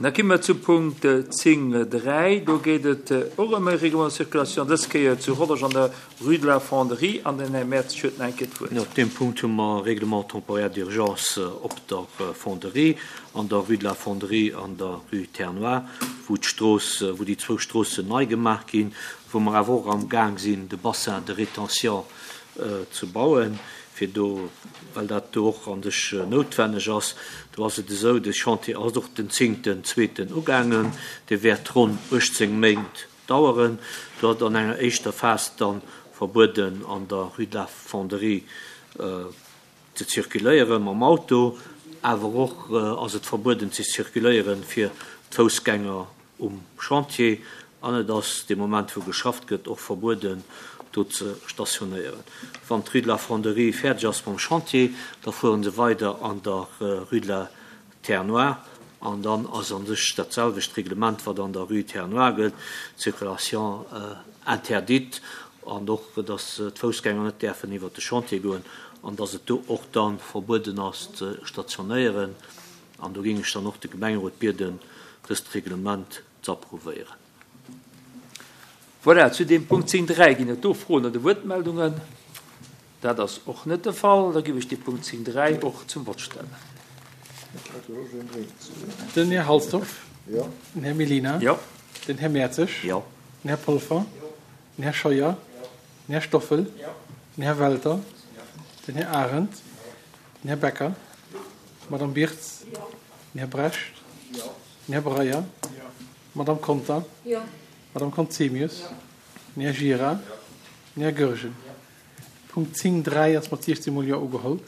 Da gi mer zu Punkt 10, 3. Do geet et och ëm e Règlement de circulation, dës Kéier zu Rodange an der Rue de la Fonderie. An den Här Mertz huet nach eng Kéier d'Wuert. Op deem Punkt hu mer e Règlement temporaire d'urgence op der Fonderie, an der Rue de la Fonderie an der Rue Terre-Noire, wou d'Strooss, wou déi zwou Stroossen nei gemaach ginn, wou mer awer och amgaang sinn, de Bassin de rétention ze bauen, fir do, well dat do och an sech noutwenneg ass. Do ass et esou, de Chantier ass och den zéngten zweeten ugaangen, dee wäert ronn 18 Méint daueren. Do ass et an enger éischter Phas da verbueden, an der Rue de la Fonderie ze zirkuléiere mam Auto, awer och ass et verbueden ze zirkuléiere fir d'Foussgänger um Chantier an et ass dee Moment wou geschafft gëtt och verbueden do ze stationéieren. Wann d'Rue de la Fonderie fäerdeg ass mam Chantier, da fuere se weider an der Rue de la Terre Noire an dann ass a sech dat selwecht Reglement wat an der Rue Terre Noire gëllt, Circulation interdite an och datt d'Foussgänger net däerfen iwwert de Chantier goen an datt et do och da verbueden ass ze stationéieren. An do géing ech dann och de Gemengerot bieden, dëst Reglement ze approuvéieren. Voilà, zu deem Punkt 10, 3 ginn et do Froen oder Wuertmeldungen? Dat ass och net de Fall. Da géif ech dee Punkt 10, 3 och zum Vott stellen. Den Här Halsdorf. Den Här Mellina. Den Här Mertzig. Den Här Polfer. Den Här Scheuer. Den Här Stoffel. Den Här Welter. Den Här Arendt. Den Här Becker. D'Madame Birtz. Den Här Brecht. Den Här Breyer. D'Madame Conter. D'Madame Conzemius. Den Här Gira. Den Här Goergen. Punkt 10, 3 ass mat 16 mol Jo ugeholl.